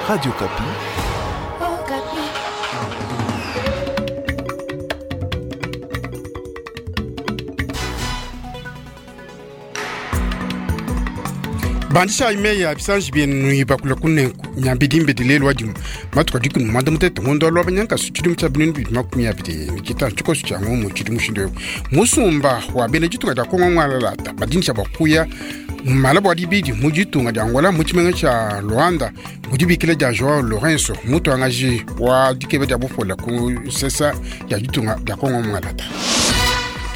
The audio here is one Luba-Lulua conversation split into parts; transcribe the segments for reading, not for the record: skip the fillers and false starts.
Radio Okapi. Bandishayi meyi a bisanji bienu ibakula kunenku nyambidimbedi lelu wadimu matuku adiku ne muanda mutete ngondo wa lwabanyankasu tshidimu tshia 2025 tshikoso tshia ngomu tshidi mushindu eu musumba wa bena ditunga dia kongo ngwalalata badinisha bua kuya mala bua dibidi mu ditunga dia angola mu tshimenga tshia luanda mu dibikila dia joao lourenço mutuangaji wa dikeba dia bupola ku nsesa ya ditunga dia kongo mualata.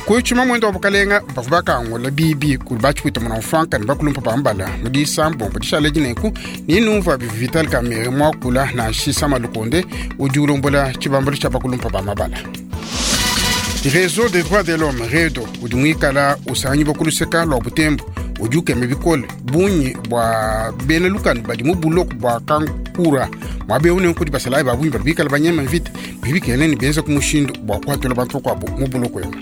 Ku tshimamuende wa bukalenga bavua bakangula bibi kudi batshipwita muna mfranka ne bakulumpa ba mbala mu disambombo dishala dinenku ni numva bivua Vital Kamerhe muakula nansha Sama Lukonde udi ulombola tshibambalu tshia bakulumpa ba mabala. Reseau des droits de l'homme REDO udi muikala usanganyibua ku luseka lua Butembo udi ukema bikole bungi bua bena lukanu badi mu buloko bua Kankura muaba eu nenku kudi basalayi ba bungi badi bikala banyema mvita bidi bikengela ne benza ku mushindu bua kuhatula bantu bakuabu mu buloko ebu.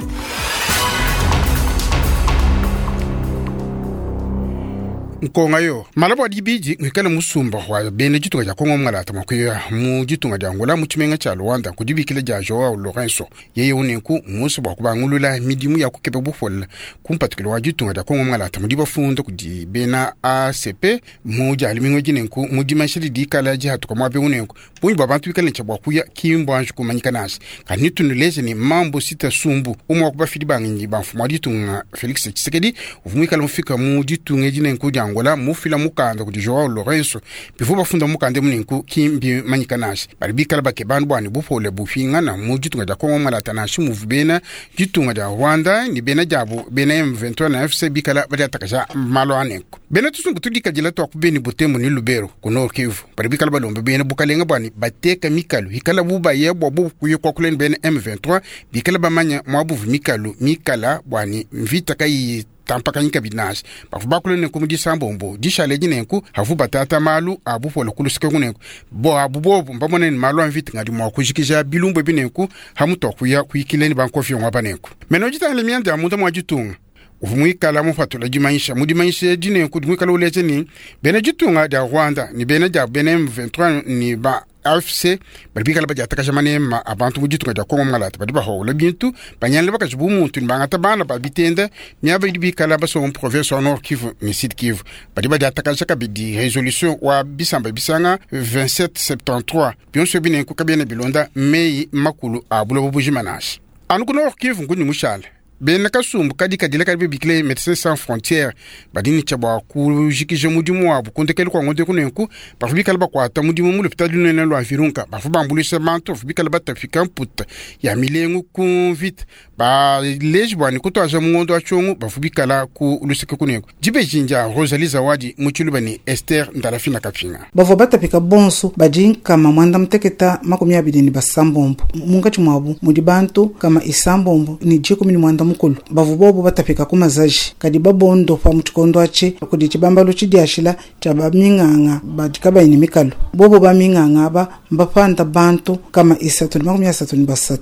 Nkonga yo malaba wa dibidi muikale musumba wa bena ditunga dia Kongo mungalata mua kuya mu ditunga dia Angola mu tshimenga tshia Luanda ku dibikila dia Joao Lourenço. Yeye unenku mmusue bua kubangulula midimu ya kukeba bupole ku mpatukilo wa ditunga dia Kongo mungalata mudi bafunda kudi bena ACP mu dia lumingu edi nenku mu dimanyisha didi dikala dihatuka muaba eu nenku bungi bua bantu bikale ne tshia bua kuya ki mbuanji kumanyika nansha. Kadi netunuleje ne Mambo Sita Sumbu, umue wa ku bafidi ba ngenyi ba mfumu wa ditunga Felix Tshisekedi, uvua muikale mufika mu ditunga edi nenku dia Angola mufila mukanda kudi Joao Lourenço. Bivua bafunda mu mukanda emu nenku ki mbimanyika nansha. Badi bikale bakeba anu bua ne bupole bupingana mu ditunga dia Congo Malata nansha muvua bena ditunga dia Rwanda ne bena diabu bena M23 na FC bikala badiatakaja malu a nenku. Bena tusumbu tudikadila tua ku Beni, Butembo ne Lubero ku Nord Kivu badi bikala balomba bena bukalenga bua ne bateka mikalu ikala bu baya bua bobu kuya kuakula ne bena M23 bikala bamanya muabuvu mikalu mikala bua ne mvita kayiyi tampakanyi kabidi nansha. Bavua bakula nenku mu disambombo dishala edi nenku havua batata malu a bupole ku luseke nenku buabu bobu mbamone ne malu a mvita ngadi mua kujikija bilumbu ebi nenku hamutu wa kuya kuyikila ne bankofiongo aba nenku. Mena ditangila mianda ya munda mua ditunga uvua muikala mupatula dimanyisha mu dimanyisha edi nenku muikala uleja ne bena ditunga dia Rwanda ne bena dia bena M23 ne ba AFC badi bikala badiatakaja manema a bantu mu ditunga dia Kongo Mungalata badi bahaula bintu banyangila bakaji bu muntu ne bangata bana ba bitenda miaba idi bikala basomba mu province wa Nord Kivu ne Sud Kivu. Badi badiatakaja kabidi resolution wa bisamba bisanga 2773 bionso ebi nenku kabiena bilonda meyi makulu a buloba bujima nansha. Anu ku Nord Kivu nkundi mushale Bena kasumbu kadikadile kadi babikile Medecins Sans Frontieres badi ne tshia bua kujikija mudimu wabu ku ndekelu kua ngondo eku. Nenku bavua bikale bakuata mudimu mu lupitadi lunene lua Virunga, bavua bambuluisha bantu bavua bikale batapika mputa ya milengu ku mvita. Baleji bua ne kutuaja mu ngondo wa Tshiongo bavua bikala ku luseke ku nenku. Dibeji ndia Rosalie Zawadi mu Tshiluba ne Esther Ndalafina Kapinga. Bavua batapika bonsu badi 126. Munkatshi muabu mudi bantu 315 bavua bobu batapika ku mazaji, kadi babondopa mu tshikondo atshi kudi tshibambalu tshidiashila tshia ba-minganga badi kabayi ne mikalu. Bobu ba-minganga aba mbapanda bantu 333.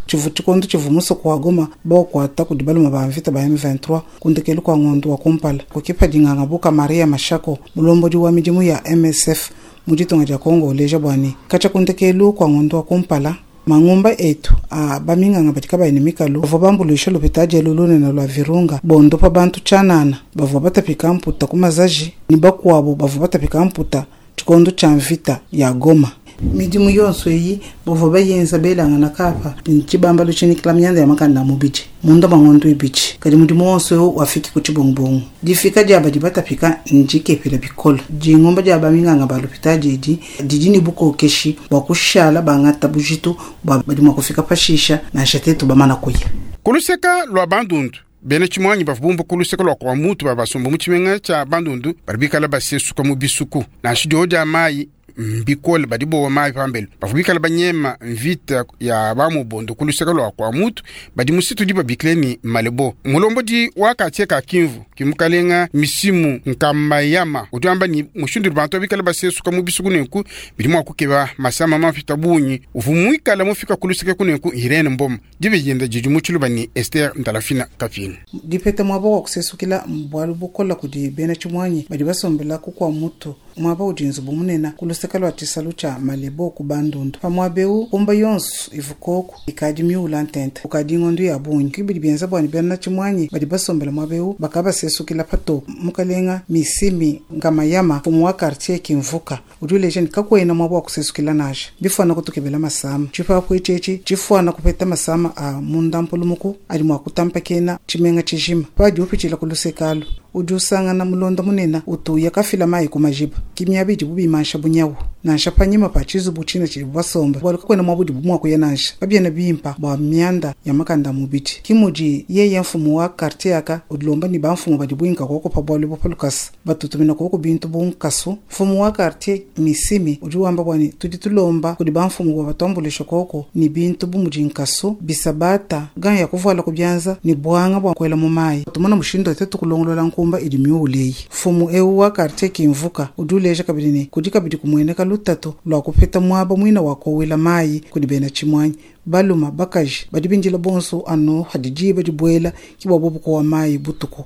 Tshivua tshikondo tshivua musoko wa Goma baukuata kudi balume ba mvita ba M23 ku ndekelu kua ngondo wa kumpala. Kukipa dinganga buka Maria Mashako, mulombodi wa midimu ya MSF mu ditunga dia Congo uleja bua ne, katshia ku ndekelu kua ngondo wa kumpala, mangumba etu a baminganga badi kabayi ne mikalu bavua bambuluisha lupitadi elu lunene lua Virunga bondopa bantu tshianana bavua batapika mputa ku mazaji ne bakuabu bavua batapika mputa tshikondo tshia mvita ya Goma. Midimu yonso eyi bavua bayenza belangana kapa ne tshibambalu tshinyikila mianda ya makanda a mubidi munda mua ngondo ibidi. Kadi mudimu wonso eu wafiki ku tshibungubungu. Difika dia badi batapika ndikepela bikole. Dingumba dia baminganga ba lupitadi edi didi ne bukokeshi bua kushala bangata bujitu bua badi mua kufika pashisha nansha tetu bamana kuya. Ku luseka lua bandundu, Bena tshimuangi bavua bumbuka ku luseke lua kua mutu ba basomba mu tshimenga tshia Bandundu badi bikale basesuka mu bisuku. Nansha diowa dia mayi mbikole, badi bowa mayi pambelu. Bavua bikale banyema mvita ya ba Mobondo ku luseke lua kua mutu badi mu site udi babikile ne Malebo. Mulombodi wa kartier ka Kinvu ki mukalenga Misimu Nkambayama udi wamba ne, mushindu udi bantu bikale basesuka mu bisuku nenku bidi mua kukeba masama mapita bungi. Uvua muikale mufika ku luseke kunenku Irene Mboma. Diba dienda didi mu tshiluba ne Esther Ndalafina Kapinga. Dipeta muaba wa kusesukila mbualu bukola kudi bena tshimuangi badi basombela ku kua mutu. Muaba udi nzubu munene ku luseke lua tshisalu tshia Malebo ku Bandundu. Pa muaba eu, nkumba yonso ivua koku ikadi miula ntente kukadi ngondo ya bungi. Ke bidi bienza bua ne bena tshimuangi badi basombele muaba eu bakabasesukila patoke. Mukalenga Misimi Ngamayama, mfumu wa quartier Kimvuka, udi uleja ne, kakuena muaba wa kusesukila nansha. Mbifuana kutukebela masama. Tshipapu etshi etshi tshifuana kupeta masama a mundampulumuku adi mua kutampakena tshimenga tshijima. Padi upitshila ku luseke alu, udi usangana mulonda munene utu uya kafila mayi ku majiba. Ke miaba idibu bimansha bunyawu nansha panyima pa tshizubu tshine tshidibu basombe, bualu kakuena muaba udibu mua kuya nansha. Kabiena bimpe bua mianda ya makanda a mubidi. Ke mudi yeye mfumu wa kartie aka udilomba ne bamfumu badi buinka kuoku pa bualu ebu pa lukasa, batutumina kuoku bintu bu nkasu. Mfumu wa kartie Misimi udi wamba bua ne, Tudi tulomba kudi bamfumu bua batuambuluishe kuoku ne bintu bu mudi nkasu, bisabata, gants ya kuvuala ku bianza ne buanga bua kuela mu mayi. Tumona mushindu wa tuetu kulongolola nkumba idi miuwule eyi. Mfumu eu wa kartie Kimvuka udi uleja kabidi ne, kudi kabidi kumueneka lutatu lua kupeta muaba muine wa kuowela mayi kudi bena tshimuangi, balume, bakaji, badi bindila bonso anu hadi diba dibuela ke bua bobu kuowa mayi butuku.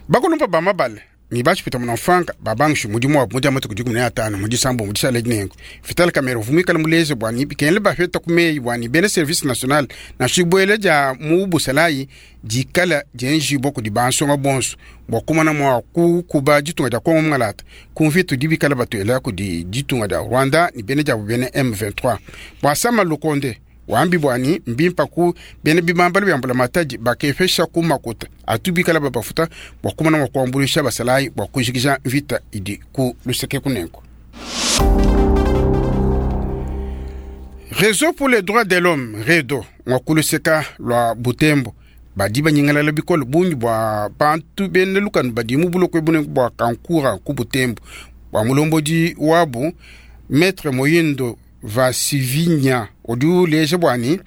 Bakulumpa ba mabale ne batshipita munamfuanka babangishe mudimu wabu mu dia matuku 15 mu Disambombo dishala edi. Nenku Vital Kamerhe uvua muikale muleje bua ne bikengela bapeta ku meyi bua ne bena service national nansha dibuela dia mu busalayi dikala dienjibua kudi bansonga bonso bua kumona mua kukuba ditunga dia Kongo mungalata ku mvita udi bikala batuela kudi ditunga dia Rwanda ne bena diabu bena M23. Bua Sama Lukonde wambi bua ne mbimpa ku bena bibambalu bia mbulamatadi bakepesha ku makuta atu bikala babafuta bua kumona mua kuambuluisha basalayi bua kujikija mvita idi ku luseke kunenku. Réseau pour les droits de l'homme REDO ngua ku luseka lua Butembo badi banyingalala bikole bungi bua bantu bena lukanu badi mu buloko ebu nenku bua Kankura ku Butembo bua mulombodi wabu Maître Moyindo Vasivinya udi uleja bua ne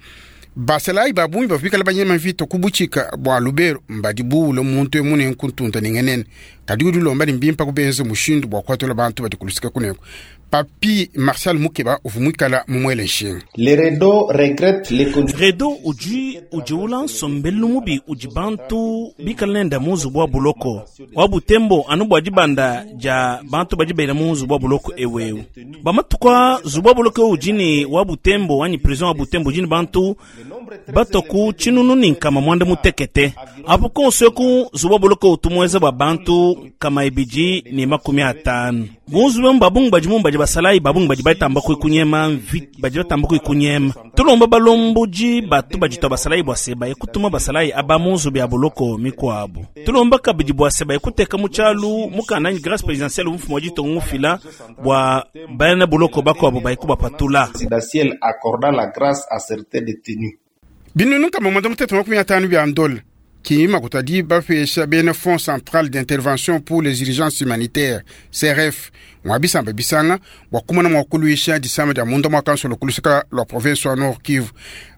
basalayi ba bungi bavua bikale banyema mvita ku butshika bua Lubero mbadi buwule muntu emu nenku ntunta ne ngenene. Kadi udi ulomba ne mbimpe kubenza mushindu bua kuatula bantu badi ku luseke kunenku. Papy Martial Mukeba uvua muikala mumuele nshinga. Le REDO regrette les conditions. REDO udi udiwula nsombelu mubi udi bantu bikale nende mu nzubu wa buloko wa Butembo anu bua dibanda dia bantu badi bela mu nzubu wa buloko eu eu. Bua matuku aa, nzubu wa buloko eu udi ne wa Butembo anyi prison wa Butembo udi ne bantu batua ku 1160. Apu konso eku nzubu wa buloko utu muenza bua bantu 250. Mu nzubu emu ba bungi badimu badi basalayi, ba bungi badi batamba kunyema mvita, badi batamba kunyema. Tulomba balombodi batu baditua basalayi bua se baye kutuma basalayi aba mu nzubu ya buloko mikuabu. Tulomba kabidi bua se baye kuteka mu tshialu mukanda anyi grace presidentielle mfumu wa ditunga mufila bua bena buloko bakuabu baye kubapatula. Presidentielle accordant la grâce à certains détenus. Binunu 150 bia ndola ki makuta adi bapesha bena Fonds central d'intervention pour les urgences humanitaires CRF mua bisamba bisanga bua kumona mua kuluisha disama dia munda mua kansolo ku luseka lua province wa Nord Kivu.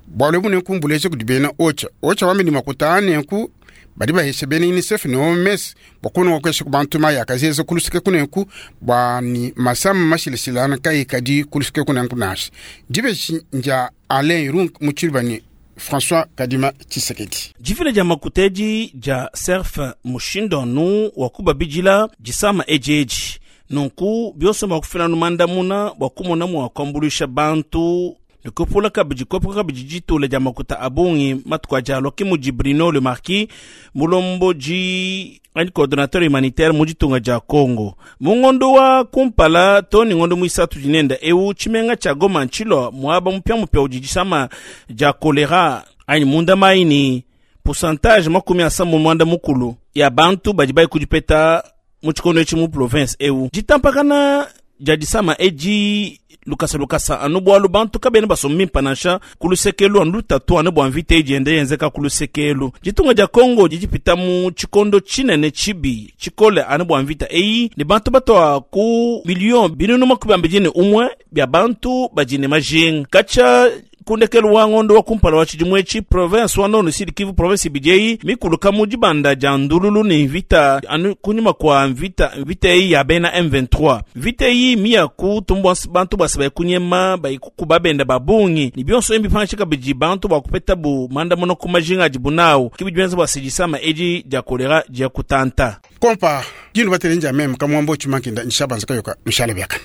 Bualu ebu nenku mbuleja kudi bena OCHA. OCHA wambi ne makuta a nenku badi bahesha bena UNICEF ne OMS bua kumona mua kuesha ku bantu mayi akazeza ku luseke kunenku bua ni masama mashilashilangane kayikadi ku luseke kunenku nansha. Dibeji ndia Alain Irung mu tshiluba ne François Kadima Tshisekedi. Difila dia makuta edi dia SERF mushindu anu wa kubabidila disama edi edi. Nunku bionso mbua kufila anu mandamuna bua kumona mua kuambuluisha bantu ne kupula kabidi kuepuka kabidi ditula dia makuta a bungi matuku adi alua. Ke mudi Bruno Le Marquis, mulombodi anyi coordonnateur humanitaire mu ditunga dia Congo. Mu ngondo wa kumpala to ne ngondo muisatu dinenda eu, tshimenga tshia Goma ntshilua muaba mupiamupia udi disama dia kolera anyi munda mayi ne pourcentage 60 ya bantu badi bayi kudipeta mu tshikondo etshi mu province eu. Ditampakana dia disama edi lukasa lukasa anu bualu bantu kabena basomba bimpe nansha ku lusekelu anu lutatu anu bua mvita idi yenda yenzeka ku lusekelu. Ditunga dia Congo didi dipita mu tshikondo tshinene tshibi tshikole anu bua mvita eyi, ne bantu batua ku miliyo 21 bia bantu badi ne majinga katshia ku ndekelu wa ngondo wa kumpala wa tshidimu etshi. Province wa Nord Sud Kivu, province ibidi eyi mikuluka mu dibanda dia ndululu ne mvita anu kunyima kua mvita, mvita eyi ya bena M23. Mvita eyi miya kutumbua bantu basa bayi kunyema, bayi kukuba benda ba bungi, ne bionso ebi mbipangishe kabidi bantu bua kupetabu mandamuna ku majinga adibu nawu. Ke bidi bienza bua se disama edi dia kolera dia kutanta. Kompa dinu batele nja meme kamwambo chimankinda nshabanza kayoka nshala byakana.